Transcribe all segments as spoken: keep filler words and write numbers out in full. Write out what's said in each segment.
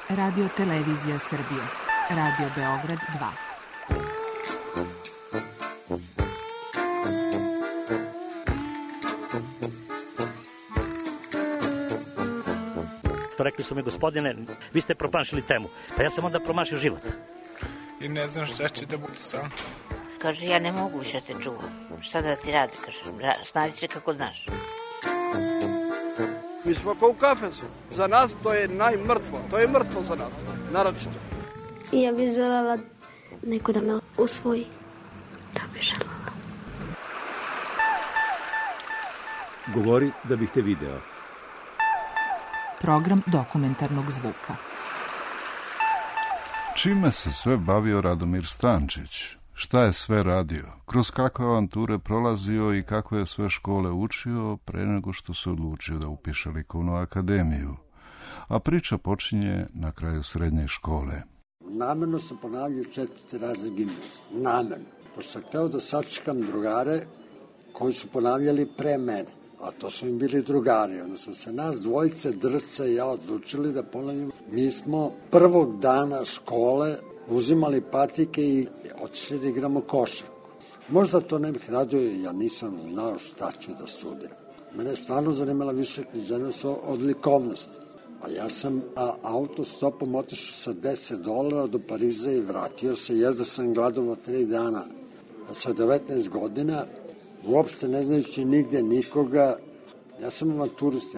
Radio Televizija Srbije. Radio Beograd dva. Rekli su mi, gospodine, vi ste promašili temu. Pa ja sam onda promašio život. I ne znam šta će da bude sam. Kaže, ja ne mogu više te čuvam. Šta da ti radi, kaže, snađi se kako znaš. Mi smo kao u kafesu. Za nas to je najmrtvo. To je mrtvo za nas, naročito. I ja bih želela neko da me usvoji. Da bih želela. Govori da bih te video. Program dokumentarnog zvuka. Čime se sve bavio Radomir Stančić? Šta je sve radio? Kroz kakve avanture prolazio i kako je sve škole učio pre nego što se odlučio da upiše likovnu akademiju? A priča počinje na kraju srednje škole. Namerno sam ponavljao četvrti razred gimnazije. Namerno. Pošto sam hteo da sačekam drugare koji su ponavljali pre mene. A to su im bili drugari. Onda smo se nas dvojice, Drca i ja, odlučili da ponavljamo. Mi smo prvog dana škole uzimali patike i otišli da igramo košarku. Možda to ne bih radio, ja nisam znao šta ću da studiram. Mene je stvarno zanimala više književnost od likovnosti. A ja sam a, autostopom otišao sa deset dolara do Pariza i vratio se. Jezda sam gladovao tri dana. A sa devetnaest godina, uopšte ne znajući nigde nikoga, ja sam avanturist.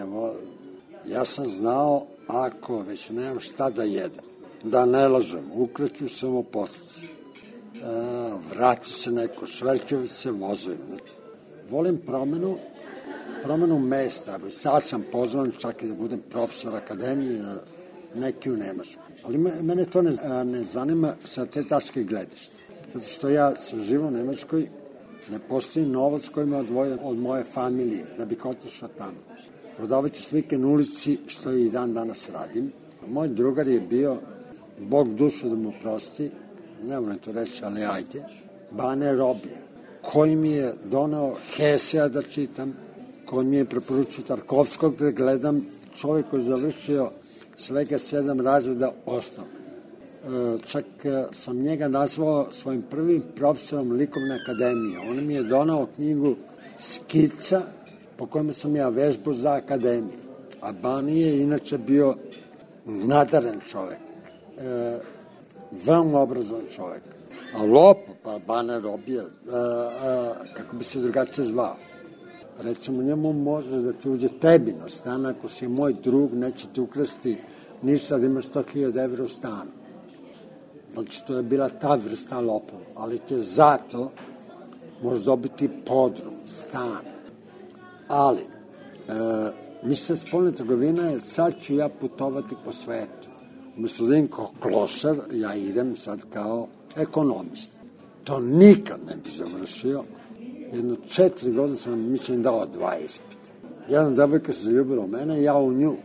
Ja sam znao, ako već nemam šta da jedem, da ne lažem, ukreću samoposluci, vrati se neko, šverćuju se vozovi. Volim promenu, promenu mesta. Sad sam pozvan čak i da budem profesor akademije, neki u Nemačku. Ali mene to ne, ne zanima sa te tačke gledišta. Zato što ja sam živo u Nemačkoj, ne postoji novac koji me odvoje od moje familije, da bih otišao tamo. Prodavajući slike na ulici, što i dan danas radim. Moj drugar je bio, Bog dušu da mu prosti, ne moram to reći, ali ajde, Bane Roblje, koji mi je donao Hesea da čitam, koji mi je preporučio Tarkovskog da gledam, čovjek koji je završio svega sedam razreda osnovne. Čak sam njega nazvao svojim prvim profesorom likovne akademije. On mi je donao knjigu Skica, po kojima sam ja vežbu za akademiju. A Bani je inače bio nadaren čovjek, e, veoma obrazovan čovjek. A lopo, pa Bane Robije, e, e, kako bi se drugačije zvao. Recimo, njemu može da ti uđe tebi na stan, ako si moj drug, neće ti ukrasti ništa da imaš sto hiljada evra u stanu. Znači, to je bila ta vrsta lopova, ali te zato možeš dobiti podrum, stan. Ali, e, mislim, spoljna trgovina je, sad ću ja putovati po svetu. Umesto da idem kao klošar, ja idem sad kao ekonomist. To nikad ne bi završio. Jedno četiri godine sam, mislim, dao dva ispita. Jedna devojka se zaljubila u mene, ja u nju.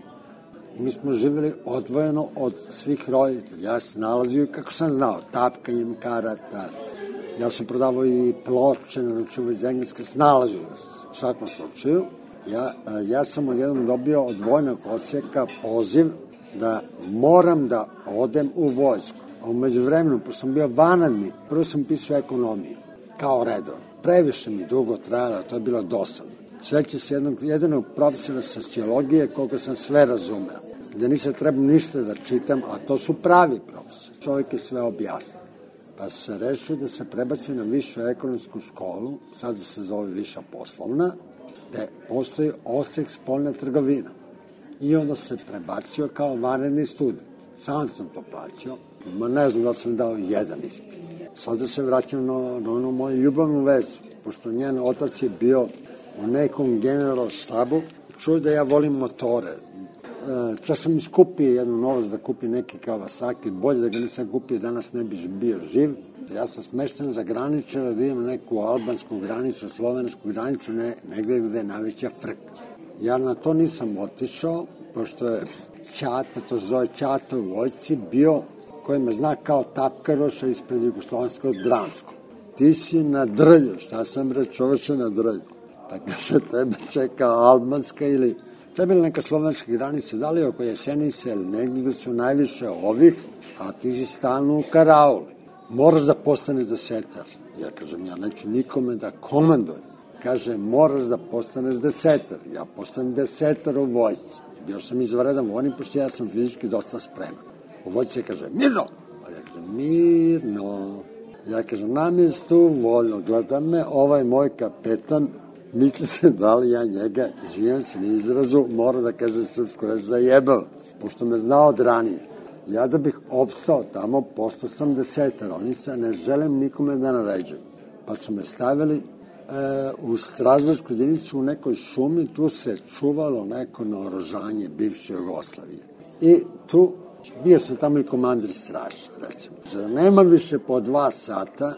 I mi smo živjeli odvojeno od svih roditelja. Ja se nalazio kako sam znao, tapkanjem karata. Ja sam prodavao i ploče, naručio iz Engleske, snalazio u svakom slučaju. Ja, ja sam odjednom dobio od vojnog odsjeka poziv da moram da odem u vojsku. A umeđu vremenu, pošto sam bio vanadni, prvo sam pisao ekonomiju, kao redovno. Previše mi dugo trajalo, to je bilo dosadno. Sveća se jednog, jedinog profesora sociologije koga sam sve razumeo. Gde nisam trebao ništa da čitam, a to su pravi profesori. Čovjek je sve objasnio. Pa se rešio da se prebaci na višu ekonomsku školu, sad se zove viša poslovna, gde postoji odsek spoljna trgovina. I onda se prebacio kao vanredni student. Sam sam to plaćao, ma ne znam da sam dao jedan ispit. Sada se vraćam na, na onu moju ljubavnu vezu, pošto njen otac je bio u nekom general štabu, čuo da ja volim motore. E, čak sam iskupio jednu novost da kupi neki Kawasaki, bolje da ga nisam kupio, danas ne bi bio živ. Ja sam smešten za graničara da idem neku albansku granicu, slovensku granicu, ne, negde gde je najveća frka. Ja na to nisam otišao, pošto je Ćata, to se zove Ćata u vojci, bio koji me zna kao tapkaroša ispred Jugoslovenskog Dramskog. Ti si na drlju, šta sam re čoveče na drlju? Pa kaže, tebe čeka albanska ili To je bila neka slovenačka granica, da li oko Jesenice ili negdje da su najviše ovih, a ti si stalno u karauli. Moraš da postaneš desetar. Ja kažem, ja neću nikome da komandujem. Kaže, moraš da postaneš desetar. Ja postanem desetar u vojci. Bio sam izvaredan vojnik, pošto ja sam fizički dosta spreman. U vojci kaže, mirno! A ja kažem, mirno. Ja kažem, na mjestu, voljno, gleda me, ovaj moj kapetan, misli se da li ja njega, izvijem se na izrazu, mora da kaže srpsku reč zajebao, pošto me znao od ranije. Ja da bih opstao tamo, postao sam desetar, oni se ne želim nikome da naređujem. Pa su me stavili e, u stražarsku jedinicu u nekoj šumi, tu se čuvalo neko naoružanje bivše Jugoslavije. I tu bio sam tamo i komandir straža, recimo. Da nema više po dva sata,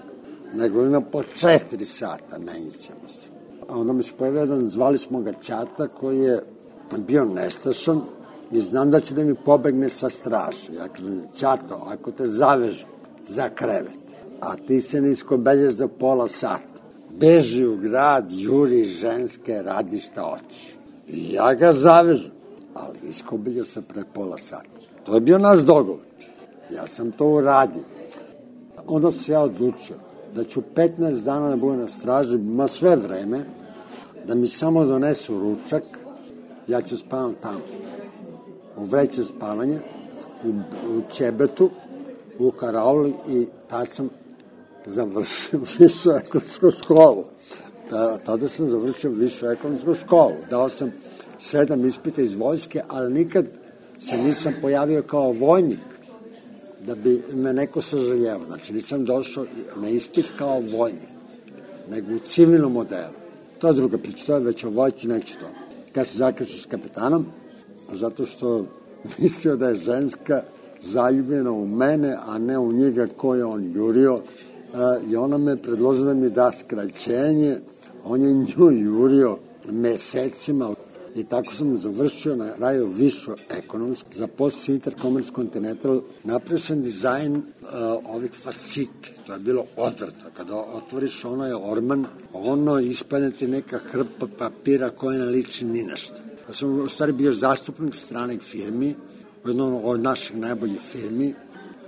nego ima po četiri sata, menjit ćemo se. A onda mi se pojavio jedan, zvali smo ga Ćata, koji je bio nestašan i znam da će da mi pobegne sa straže. Ja kažem, Ćato, ako te zavežu za krevet, a ti se ne iskobelješ za pola sata, beži u grad, juri ženske, radi šta hoćeš. I ja ga zavežem, ali iskobeljao se pre pola sata. To je bio naš dogovor. Ja sam to uradio. Onda se ja odlučio da ću petnaest dana da budem na straži, ma sve vreme, da mi samo donesu ručak, ja ću spavam tamo. U vreće spavanje, u, u Ćebetu, u karauli i tad sam završio višu ekonomsku školu. Ta, tada sam završio višu ekonomsku školu. Dao sam sedam ispita iz vojske, ali nikad se nisam pojavio kao vojnik da bi me neko sažaljevao. Znači nisam došao na ispit kao vojnik, nego u civilnom modelu. To je druga priča, to je već o vojci, neće to. Kad se zakreću s kapetanom, zato što mislio da je ženska zaljubljena u mene, a ne u njega koje on jurio, i ona me predložila da mi da skraćenje, on je nju jurio mesecima. I tako sam završio na kraju višu ekonomsku, zaposlio se Intercommerce Continental, napravio sam dizajn uh, ovih fascikli, to je bilo odvrtno, kada otvoriš ono je orman, ono ispadne ti neka hrpa papira koja ne liči ni nešto. Ja sam u stvari bio zastupnik stranih firmi, u jednom od naših najboljih firmi,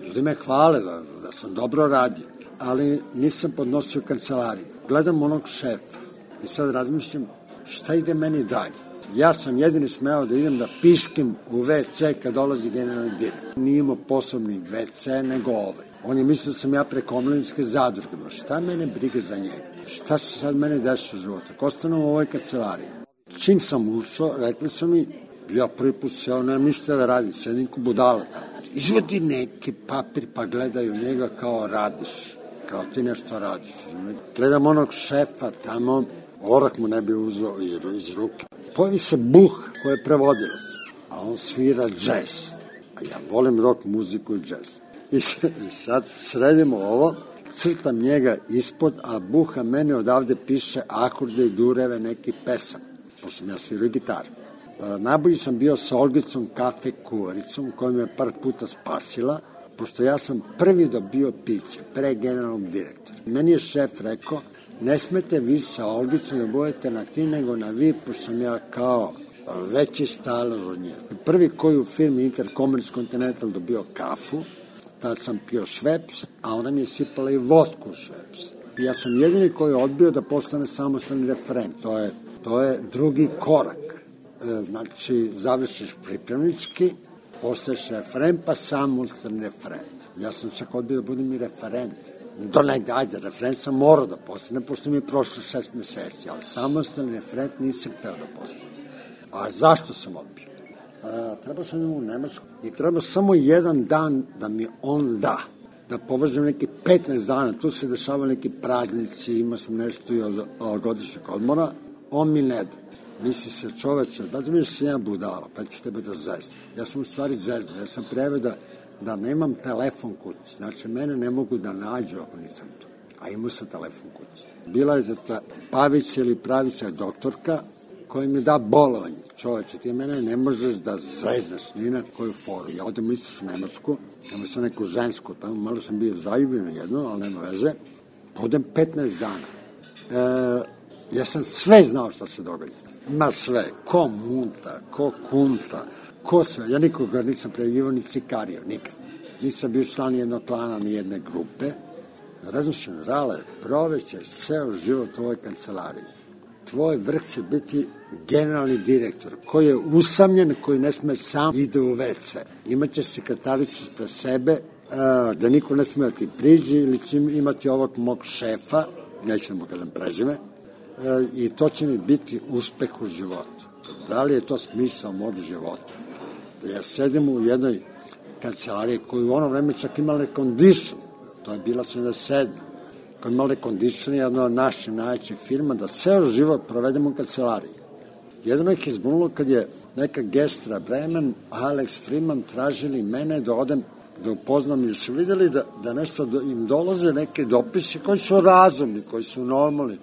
ljudi me hvale da, da sam dobro radio, ali nisam podnosio kancelariju. Gledam onog šefa i sad razmišljam šta ide meni dalje. Ja sam jedini smeo da idem da piškim u ve ce kad dolazi generalni direktor. Nije imao posebni ve ce nego ovaj. On je mislio da sam ja preko omladinske zadruge. Šta mene briga za njega? Šta se sad mene deša u životu? Ako ostanem u ovoj kancelariji. Čim sam ušao, rekli su mi, ja prvi put seo, nemam ništa da radim, sedim ko budala tamo. Izvodi neki papir pa gledaju njega kao radiš. Kao ti nešto radiš. Gledam onog šefa tamo, orak mu ne bi uzeo iz ruke. Pojavi se Buh koji je prevodilac, a on svira džez. A ja volim rock muziku i džez. I, i sad sredimo ovo, crtam njega ispod, a Buha mene odavde piše akorde i dureve neki pesam, pošto sam ja svirao gitaru. E, najbolji sam bio sa Olgicom kafe kuvaricom, koja me par puta spasila, pošto ja sam prvi dobio piće, pre generalnog direktora. Meni je šef rekao, ne smete vi sa Olgicom da budete na ti, nego na vi, pošto sam ja kao veći stalež od nje. Prvi koji u firmi Intercommerce Continental dobio kafu, tad sam pio šveps, a ona mi je sipala i vodku u šveps. I ja sam jedini koji je odbio da postane samostalni referent. To je, to je drugi korak. E, znači, završiš pripremnički, postaješ referent, pa samostalni referent. Ja sam čak odbio da budem i referent. Do negde, ajde, referent sam morao da postane, pošto mi je prošlo šest meseci, ali samostalni referent nisam hteo da postane. A zašto sam odbio? A, treba sam u Nemačku i treba samo jedan dan da mi on da, da považem neki petnaest dana, tu se dešavaju neki praznici, ima sam nešto i od, od godišnjeg odmora, on mi ne da. Misli se čoveče, da ti mi se jedan budala, pa ću tebe da zezam. Ja sam u stvari zezam, ja sam prijavio da da nemam telefon kući. Znači, mene ne mogu da nađu ako nisam tu. A imao sam telefon kući. Bila je za ta Pavića ili Pravića doktorka koja mi da bolovanje. Čoveče, ti mene ne možeš da zeznaš ni na koju foru. Ja odem u istočnu Nemačku, imao sam neku žensku tamo, malo sam bio zaljubljen jedno, ali nema veze. Podem petnaest dana. E, ja sam sve znao šta se događa. Ima sve, ko munta, ko kunta, ko sve. Ja nikoga nisam prejavljivao ni cikario, nikad. Nisam bio član jednog klana, ni jedne grupe. Razmišljam, Rale, provećeš ceo život u ovoj kancelariji. Tvoj vrh će biti generalni direktor, koji je usamljen, koji ne sme sam ide u ve ce. Imaće sekretaricu ispred sebe, da niko ne sme da ti priđe, ili će imati ovog mog šefa, neću da mu kažem prezime, i to će mi biti uspeh u životu. Da li je to smisao mog života? Da ja sedim u jednoj kancelariji koju u ono vreme čak imala condition, to je bila sedamdeset sedma koja je imala condition, jedna od naših najvećih firma, da ceo život provedemo u kancelariji. Jedno ih je izbunulo kad je neka Gestra Bremen, Alex Freeman tražili mene da odem da upoznam, jer su vidjeli da, da nešto do, im dolaze neke dopise koji su razumni, koji su normalni.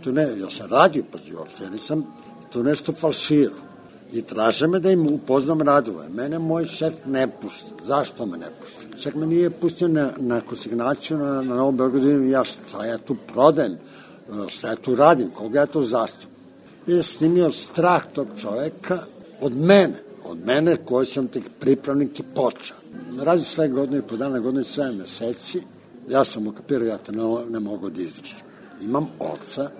To ne, ja sam radio, pazi, uopšte, ja nisam to nešto falširao. I traže me da im upoznam radove. Mene moj šef ne pušta. Zašto me ne pušta? Čak me nije pustio na, na konsignaciju na, na Novom Beogradu, ja šta ja tu prodajem, šta ja tu radim, koga ja tu zastupam. I je snimio strah tog čoveka od mene, od mene koji sam tek pripravnik i počeo. Radi sve godine i po dana, godine i sve meseci, ja sam ukapirao, ja to ne, ne mogu da izdržim. Imam oca,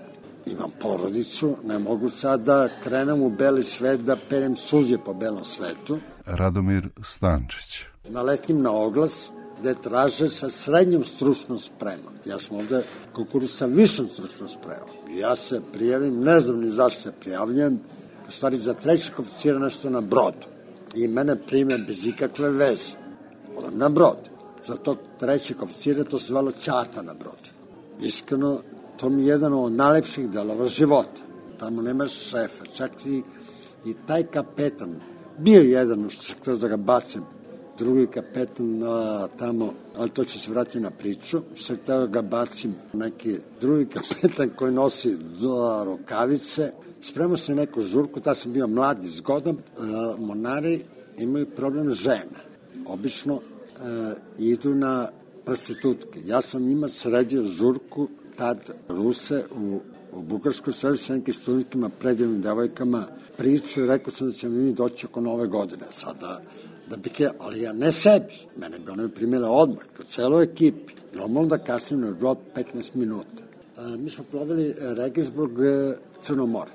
imam porodicu, ne mogu sad da krenem u beli svet, da perem suđe po belom svetu. Radomir Stančić. Naletim na oglas gde traže sa srednjom stručnom spremom. Ja sam ovde konkurs sa višom stručnom spremom. Ja se prijavim, ne znam ni zašto se prijavljam, u stvari za trećeg oficira nešto na brodu. I mene prime bez ikakve veze. Odam na brod. Za tog trećeg oficira to se zvalo Ćata na brodu. Iskreno, to mi je jedan od najlepših delova života. Tamo nemaš šefa, čak i, i taj kapetan, bio jedan, što sam htio da ga bacim, drugi kapetan a, tamo, ali to će se vratiti na priču, što sam htio da ga bacim, neki drugi kapetan koji nosi do rukavice, spremao se neku žurku, ta sam bio mlad i zgodan, a, monari imaju problem žena. Obično a, idu na prostitutke. Ja sam njima sredio žurku, tad Ruse u, u Bugarskoj, sredio sa nekim studentkama, predivnim devojkama, priču i rekao sam da ćemo mi doći oko nove godine. Sada, da bih je, ali ja ne sebi, mene bi one primile odmah, kao celoj ekipi. Normalno da kasnim na brod petnaest minuta. A, mi smo plovili Regensburg, Crno more.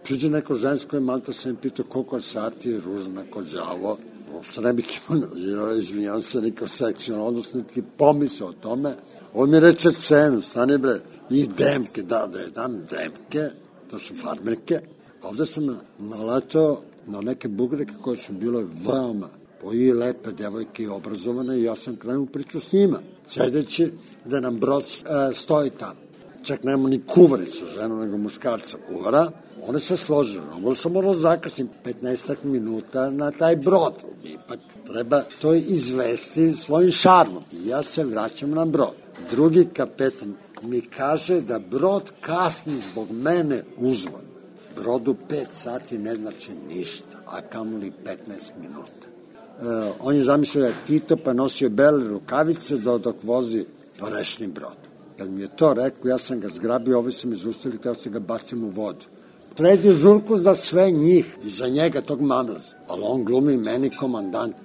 Priđe neko žensko i malta sam pitao koliko je sati, ružna kod đavo. Uopšte ne bih imao, ja, izvinjam se, nikao seksualno, odnosno neki pomisao o tome. On mi reče cenu, stani bre, i demke, da, da je dam demke, to su farmerke. Ovde sam naletao na neke bugreke koje su bile veoma i lepe devojke i obrazovane i ja sam krenuo priču s njima, sedeći da nam brod e, stoji tamo. Čak nema ni kuvaricu ženu, nego muškarca kuvara. One se složile, ono sam morao zakasnim petnaest minuta na taj brod. Ipak treba to izvesti svojim šarmom. I ja se vraćam na brod. Drugi kapetan mi kaže da brod kasni zbog mene uzvan. Brodu pet sati ne znači ništa, a kamoli petnaest minuta. E, on je zamislio da je Tito, pa nosio bele rukavice do, dok vozi rešni brod. Kad mi je to rekao, ja sam ga zgrabio, ovi su mi zaustavili, hteo se ga bacim u vodu. Sredio žurku za sve njih i za njega tog mamlaza. Ali on glumi meni komandant.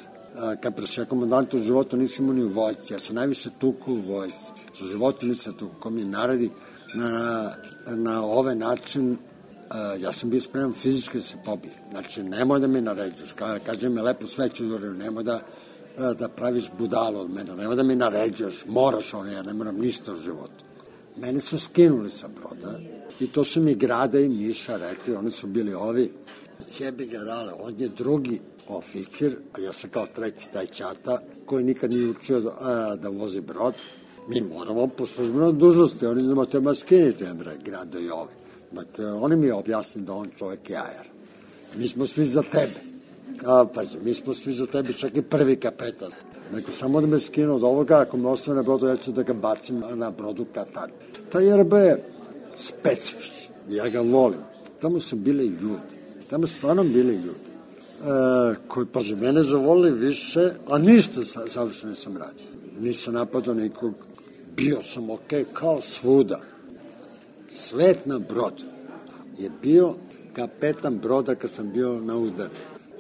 Kad prešao komandant u životu nisam imao ni u vojci. Ja sam najviše tuku u vojci. U životu nisam tuku. Ko mi naredi na, na ovaj način, ja sam bio spreman fizički da se pobije. Znači, nemoj da mi naređaš. Kaže me lepo sveću, nemoj da, da praviš budalo od mene. Nemoj da mi naređaš. Moraš ono, ja ne moram ništa u životu. Mene su skinuli sa broda. I to su mi Grada i Miša rekli, oni su bili ovi, jebi ga Rale, on je drugi oficir, a ja sam kao treći taj Ćata, koji nikad nije učio da, a, da vozi brod. Mi moramo po službenoj dužnosti, oni znamo tema skinite, bre, Grado i ovi. Dakle, oni mi objasnili da on čovek je jajar. Mi smo svi za tebe. A, pazi, mi smo svi za tebe, čak i prvi kapetan. Neko samo da me skinu od ovoga, ako me ostane na brodu, ja ću da ga bacim na brodu Katar. Taj R B je specifičan, ja ga volim. Tamo su bili ljudi, tamo su stvarno bili ljudi, e, koji, pazi, mene zavolili više, a ništa sa, savršeno nisam radio. Nisam napadao nikog, bio sam okej, okay, kao svuda. Svet na brodu je bio kapetan broda kad sam bio na udaru.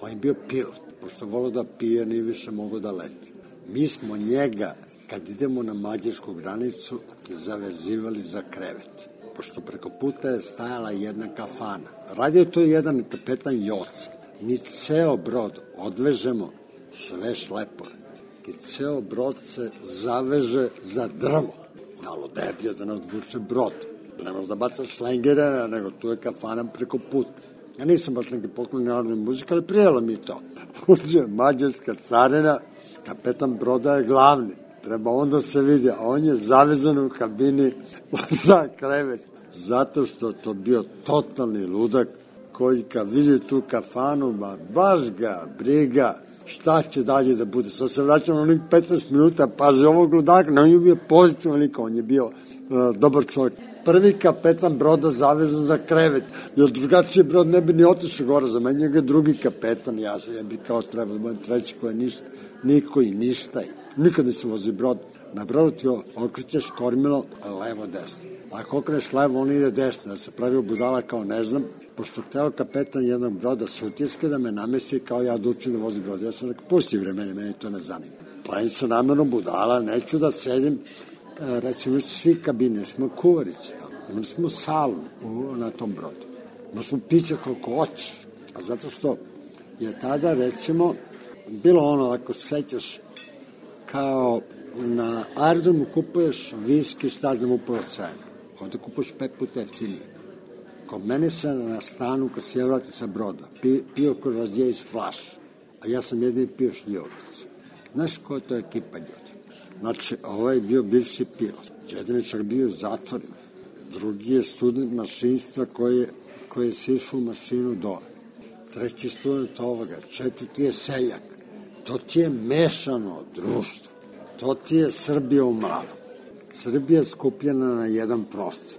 On je bio pilot, pošto volio da pije, nije više mogao da leti. Mi smo njega, kad idemo na mađarsku granicu, zavezivali za krevet, pošto preko puta je stajala jedna kafana. Radio to jedan kapetan Joca. Mi ceo brod odvežemo sve šlepore. I ceo brod se zaveže za drvo. Malo deblje da ne odvuče brod. Ne možeš da bacaš šlengere, nego tu je kafana preko puta. Ja nisam baš neki poklon narodne muzike, ali prijelo mi to. Uđe mađarska carina, kapetan broda je glavni. Treba onda se vidi, a on je zavezan u kabini za krevet. Zato što to bio totalni ludak koji kad vidi tu kafanu, ma baš ga briga šta će dalje da bude. Sad se vraćamo na onih petnaest minuta, pazi ovog ludaka, on je bio pozitivan lik, on je bio uh, dobar čovjek. Prvi kapetan broda zavezan za krevet, jer drugačiji brod ne bi ni otišao gore, za meni je drugi kapetan, ja, ja bi kao trebao da budem treći koji je ništa, niko i ništa. Nikad nisam vozio brod. Na brodu ti okrećeš kormilo levo desno. Ako okreneš levo, on ide desno, da se pravi budala kao ne znam, pošto hteo kapetan jednog broda sutjeske da me namesti kao ja da učim da vozi brod. Ja sam rekao, pusti vremenje, meni to ne zanima. Pravim se namerno budala, neću da sedim, recimo svi kabine, smo kuvarici tamo, imali smo salu na tom brodu. Imali smo piće koliko hoćeš, a zato što je tada recimo bilo ono, ako sećaš, kao na aerodromu kupuješ viski, šta znam upravo cenu. Ovde kupuješ pet puta jeftinije. Kod mene se na stanu, kad se ja vrati sa broda, pio, pio koji razije iz flaša, a ja sam jedini pio šljivovac. Znaš koja je to ekipa ljudi? Znači, ovaj je bio bivši pilot. Jedan je čak bio zatvoren. Drugi je student mašinstva koji je, koji je sišao u mašinu dole. Treći student ovoga. Četvrti je seljak. To ti je mešano društvo. To ti je Srbija u malom. Srbija je skupljena na jedan prostor.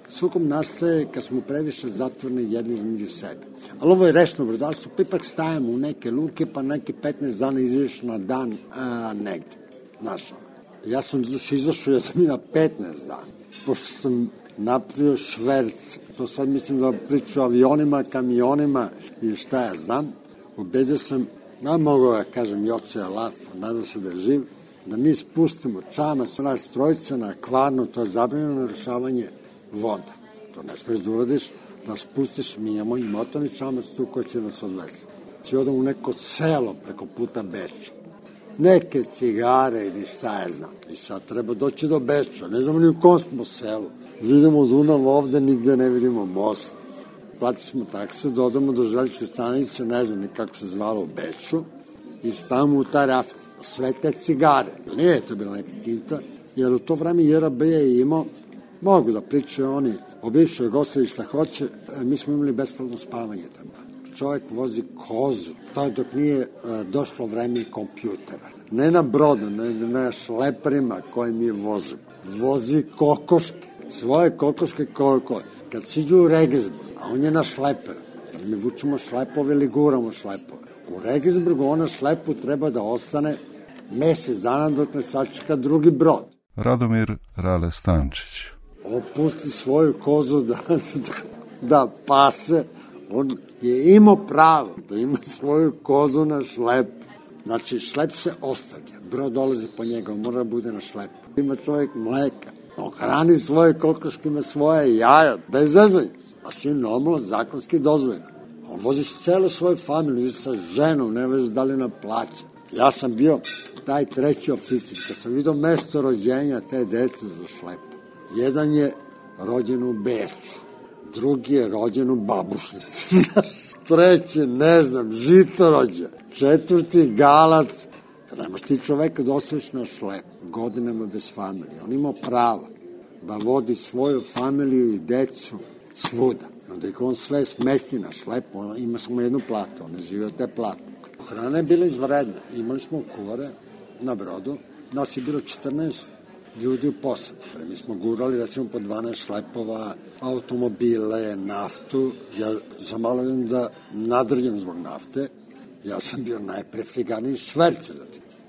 Sukob nastaje kad smo previše zatvoreni jedni između sebe. Ali ovo je rešno brodalstvo, pa ipak stajemo u neke luke, pa neki petnaest dana izaš na dan a, negde. Znaš, ja sam izašao ja sam i na petnaest dana, pošto sam napravio šverc. To sad mislim da priču o avionima, kamionima i šta ja znam. Ubedio sam, ne mogu da kažem Joce Laf, nadam se da je živ, da mi spustimo čama sa nas trojica na Kvarnu, to je zabranjeno rešavanje voda. To ne smiješ da uradiš, da spustiš, mi imamo i motorni čamac tu koji će nas odvesti. Či odam u neko selo preko puta Beča. Neke cigare ili šta je znam. I sad treba doći do Beča, ne znamo ni u kom smo selu. Vidimo Dunav ovde, nigde ne vidimo most. Platili smo taksu, dodamo do železničke stanice, ne znam ni kako se zvalo u Beču, i stavimo u taj raft sve te cigare. Nije to bila neka kinta, jer u to vreme J R B je imao, mogu da pričaju oni o bivšoj Jugoslaviji šta hoće, mi smo imali besplatno spavanje tamo. Čovjek vozi kozu, to dok nije došlo vreme kompjutera. Ne na brodu, ne na šleperima koje mi vozimo. Vozi kokoške, svoje kokoške koliko. Kad siđu u Regensburg, a on je na šleperu, jer mi vučemo šlepove ili guramo šlepove. U Regensburgu ona šlepu treba da ostane mesec dana dok ne sačeka drugi brod. Radomir Rale Stančić. On pusti svoju kozu da, da, da pase, on je imao pravo da ima svoju kozu na šlepu. Znači, šlep se ostavlja, brod dolazi po njega, on mora da bude na šlepu. Ima čovjek mleka, on hrani svoje kokoške, ima svoje jaja, bez zezanja, a svi normalno zakonski dozvoljeno. On vozi s celo svoju familiju, sa ženom, ne vezi da li na plaća. Ja sam bio taj treći oficir, kad sam vidio mesto rođenja te dece za šlepu. Jedan je rođen u Beču, drugi je rođen u Babušnici, treći, ne znam, Žitorođa, četvrti Galac. Nemaš ti čoveka da ostaviš na šlep, godinama bez familije. On ima pravo da vodi svoju familiju i decu svuda. Onda ih on sve smesti na šlep, on ima samo jednu platu, on ne živi od te plate. Hrana je bila izvredna, imali smo kuvare na brodu, nas je bilo četrnaest ljudi u posadu. Mi smo gurali recimo po dvanaest šlepova, automobile, naftu. Ja za malo idem da nadrljam zbog nafte. Ja sam bio najprefriganiji šverce.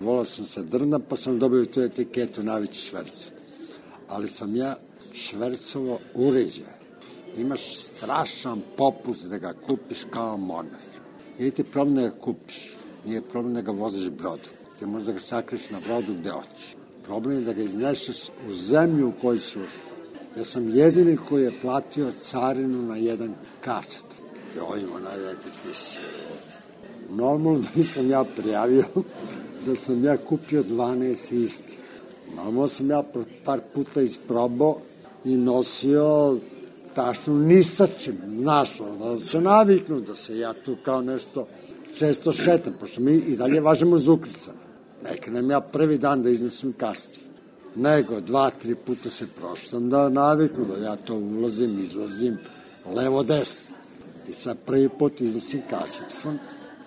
Volao sam se drna, pa sam dobio tu etiketu najveći šverce. Ali sam ja švercovo uređaj. imaš strašan popust da ga kupiš kao monah. Nije ti problem da ga kupiš, nije problem da ga voziš brodom. Ti možeš da ga sakriš na brodu gde hoćeš. Problem je da ga izneseš u zemlju u kojoj si ušao. Ja sam jedini koji je platio carinu na jedan kaset. Joj, ona je rekao, ti si. Normalno da nisam ja prijavio da sam ja kupio dvanaest istih. Normalno sam ja par puta isprobao i nosio tašnu ni sa čim, znaš, da se naviknu, da se ja tu kao nešto često šetam, pošto mi i dalje važemo iz ukrcana. Neka nam ja prvi dan da iznesem kaset. Nego dva, tri puta se proštam da naviknu, da ja to ulazim, izlazim, levo, desno. I sad prvi put iznosim kasetofon.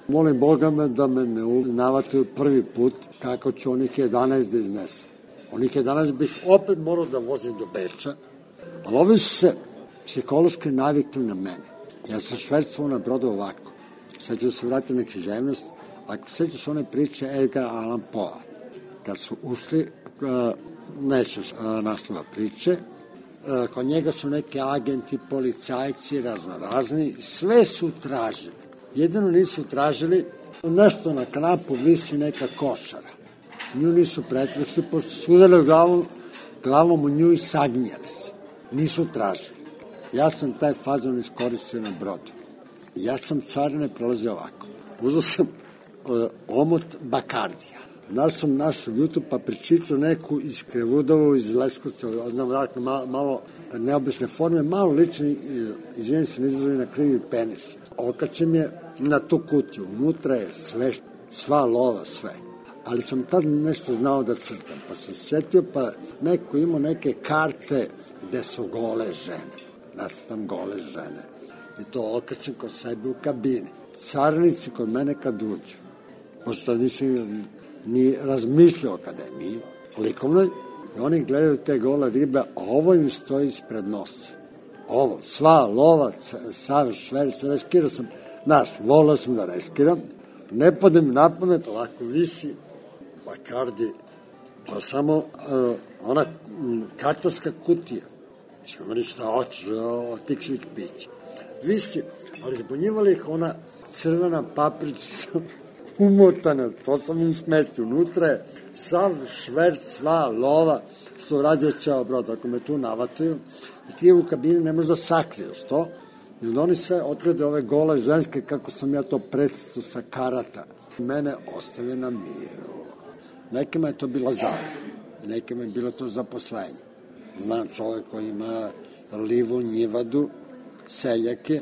Molim Boga me da me ne navataju prvi put kako ću onih jedanaest da iznesem. Onih jedanaest bih opet morao da vozim do Beča, ali ovi su se psihološki navikli na mene. Ja sam švercovao na brodu ovako. Sad ću da se vratim na književnost. Ako sećaš one priče Edgar Allan Poe, kad su ušli, neću naslova priče, kod njega su neki agenti, policajci, razno razni, sve su tražili. Jedino nisu tražili, nešto na kanapu visi neka košara. Nju nisu pretresli, pošto su udarili glavom, glavom u nju i saginjali se. Nisu tražili. Ja sam taj fazon iskoristio na brodu. Ja sam carine prolazio ovako. Uzao sam uh, omot Bakardija. Znaš sam našu YouTube papričicu neku iz Krevudovu, iz Leskovca, znam dakle malo, malo neobične forme, malo lični, izvijem se, nizazove na krivi penis. Okačem je na tu kutiju, unutra je sve, sva lova, sve. Ali sam tad nešto znao da crtam, pa sam setio, pa neko imao neke karte gde su gole žene. Nacrtam gole žene. I to okačem kod sebe u kabini. Carnici kod mene kad uđu, pošto nisam ni razmišljao o akademiji, likovnoj, i oni gledaju te gole ribe, a ovo im stoji ispred nosa. Ovo, sva lova, sav šver, sve reskirao sam, znaš, volao sam da reskiram, ne padem mi na pamet, ovako visi Bakardi, pa samo uh, ona kartonska kutija, ćemo meni šta hoćeš od tih svih pića. Visi, ali zbunjivali ih ona crvena papričica umotana, to sam im smestio. Unutra je sav šverc, sva lova, što radio ceo brod, ako me tu navataju, i ti u kabini ne možeš da sakriješ to, i onda oni sve otkrede ove gole ženske, kako sam ja to predstavio sa karata. Mene ostavio na miru. Nekima je to bila zarada, nekima je bilo to zaposlenje. Znam čovek koji ima livu, njivadu, seljake,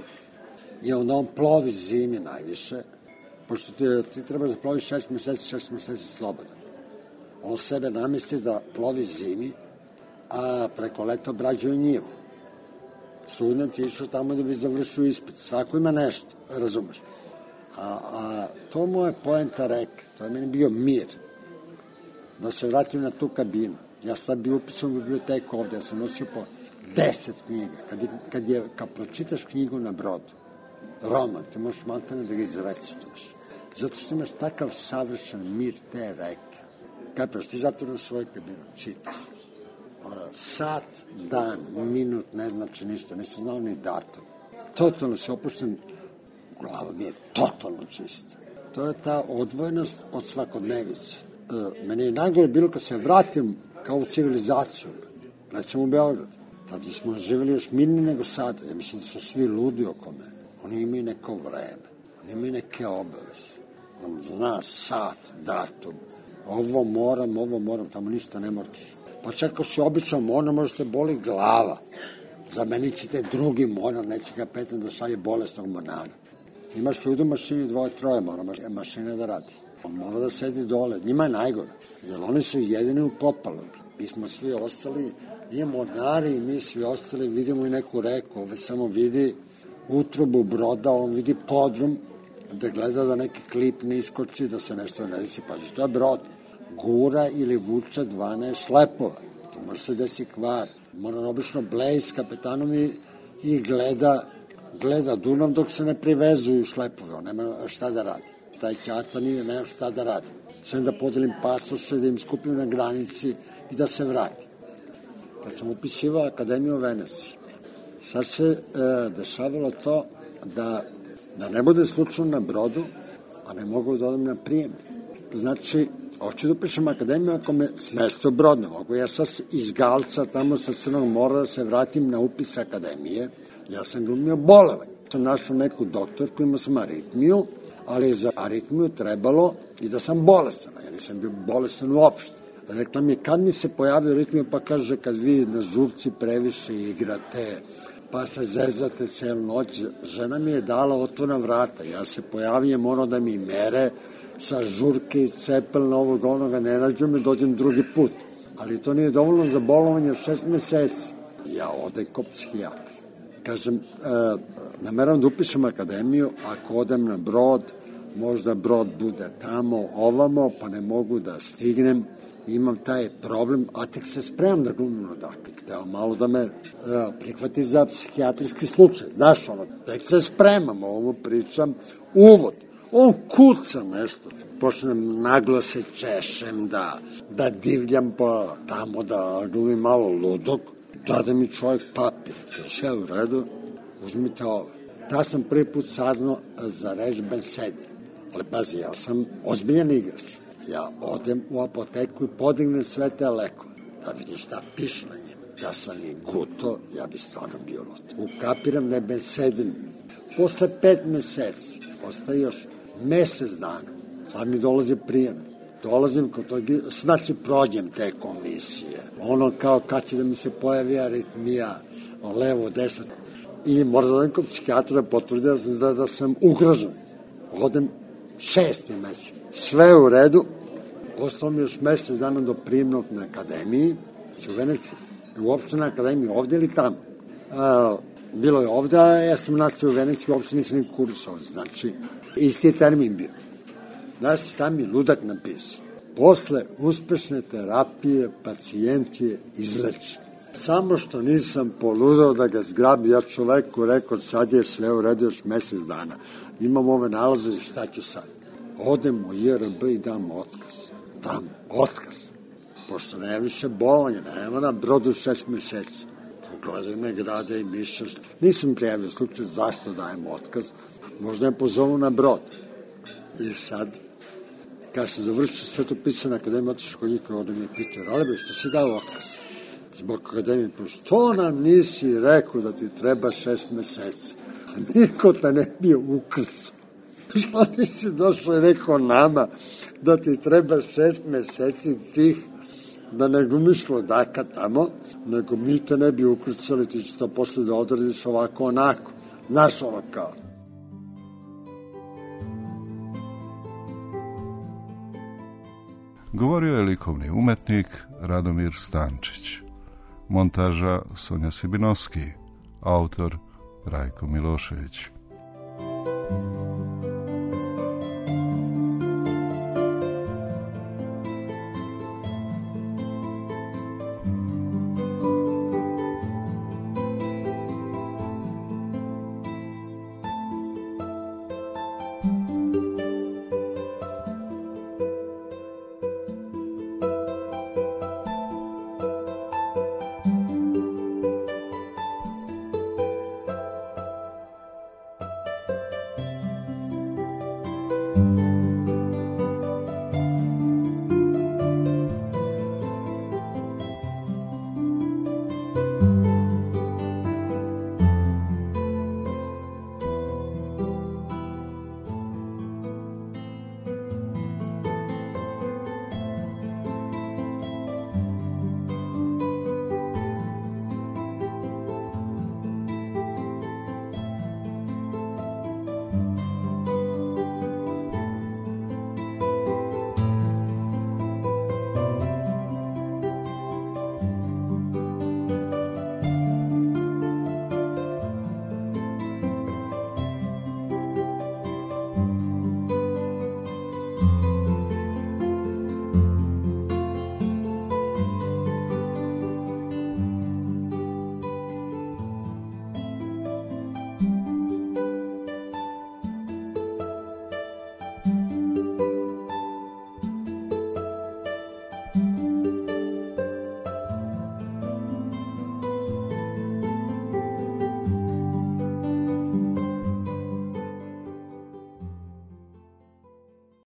i onda on plovi zimi najviše, pošto ti, ti treba da ploviš šest meseci, šest meseci slobodan. On sebe namesti da plovi zimi, a preko leta obrađuje njivu. Student je išao tamo da bi završio ispit. Svako ima nešto, razumeš. A, a to mu je poenta reke, to je meni bio mir. Da se vratim na tu kabinu. Ja sad bi upisao u biblioteku ovde, ja sam nosio po deset knjiga. Kad, kad, je, kad pročitaš knjigu na brodu, roman, ti možeš maltene da ga izrecituješ. Zato što imaš takav savršen mir te reke. Kapiš, ti zato na svoj kabinu čitaš. Sat, dan, minut, ne znači ništa, nisam znao ni datum. Totalno se opušten, glava mi je totalno čista. To je ta odvojenost od svakodnevice. E, meni je najgore bilo kad se vratim kao u civilizaciju, recimo u Beograd. Tada smo živjeli još mirnije nego sada. Ja mislim da su svi ludi oko mene. Oni imaju neko vreme, oni imaju neke obaveze. On zna sat, datum, ovo moram, ovo moram, tamo ništa ne moraš. Pa čak ako si običan monar, možete boli glava. Zamenit ćete drugi monar, neće ga petan da šalje bolesnog monara. Imaš ljudi u mašini, dvoje, troje, mora mašina da radi. On mora da sedi dole, njima je najgore, jer oni su jedini u popalu. Mi smo svi ostali, i mornari, i mi svi ostali, vidimo i neku reku, ove samo vidi utrobu broda, on vidi podrum, da gleda da neki klip ne iskoči, da se nešto ne desi. Pazi, to je brod. Gura ili vuče dvanaest šlepova. To može se desi kvar. Mora obično bleji s kapetanom i, i gleda, gleda Dunav dok se ne privezuju šlepove. On nema šta da radi. Taj ćata nije nema šta da radi. Sve da podelim pasoše, da im skupim na granici i da se vrati. Kad sam upisivao Akademiju u Veneciji, Sad se e, dešavalo to da, da ne bude slučajno na brodu, a ne mogu da odem na prijem. Znači, hoću da upišem akademiju ako me smeste u brod, ne mogu. Ja sad iz Galca, tamo sa Crnog mora, da se vratim na upis akademije. Ja sam glumio bolovanje. Sam našao neku doktorku, imao sam aritmiju, ali za aritmiju trebalo i da sam bolestan. Ja nisam bio bolestan uopšte. Rekla mi, kad mi se pojavio aritmija, pa kaže, kad vi na žurci previše igrate, pa se zezate celu noć. Žena mi je dala otvorna vrata. Ja se pojavim, ono da mi mere sa žurke i cepelna ovog onoga, ne nađu me, dođem drugi put. Ali to nije dovoljno za bolovanje od šest meseci. Ja odem kod psihijatra. Kažem, e, nameram da upišem akademiju, ako odem na brod, možda brod bude tamo, ovamo, pa ne mogu da stignem. Imam taj problem, a tek se spremam da glumim odakle. Hteo malo da me e, prihvati za psihijatrijski slučaj. Znaš, ono, tek se spremam, ovo pričam, uvod. On kuca nešto. Počnem naglo se češem, da, da divljam pa tamo, da glumim malo ludog. Dade mi čovjek papir, sve u redu, uzmite ovo. Da sam prvi put saznao za reč bensedin. Ali pazi, ja sam ozbiljan igrač. Ja odem u apoteku i podignem sve te lekove. Da vidim šta piše na njima. Da sam i guto, ja bi stvarno bio lud. Ukapiram da je bensedin. Posle pet meseci, ostaje još mesec dana. Sad mi dolazi prijem. Dolazim kod tog, znači prođem te komisije. Ono kao kad će da mi se pojavi aritmija, levo, desno. I moram da odem kod psihijatra da potvrdi da, da sam ugrožen. Odem šesti mesec. Sve u redu. Ostalo mi još mesec dana do prijemnog na akademiji. U Veneciji. Uopšte na akademiji, ovde ili tamo. A, bilo je ovde, a ja sam nastavio u Veneciji, uopšte nisam ni kurs ovde. Znači, isti je termin bio. Znaš, šta mi ludak napisao? Posle uspešne terapije pacijent je izlečen. Samo što nisam poludao da ga zgrabi, ja čoveku rekao, sad je sve u redu još mesec dana. Imam ove nalaze i šta ću sad? Odem u I R B i dam otkaz. Dam otkaz. Pošto nema više bolovanja, nema na brodu šest meseci. Pogledaju me grade i mišljaš. Nisam prijavio slučaj zašto dajem otkaz. Možda je pozovu na brod. I sad, kada se završio Svetopisana akademija, otišao kod njih, ovdje mi je pitao, Ralebe, što si dao otkaz? Zbog akademije, pa što nam nisi rekao da ti treba šest meseci? A niko te ne bio ukrcao. Što nisi došao i rekao nama da ti treba šest meseci tih, da ne glumiš lodaka tamo, nego mi te ne bi ukrcali, ti će to posle da odradiš ovako onako. Znaš ono kao. Govorio je likovni umetnik Radomir Stančić. Montaža Sonja Sibinovski. Autor Rajko Milošević. Thank you.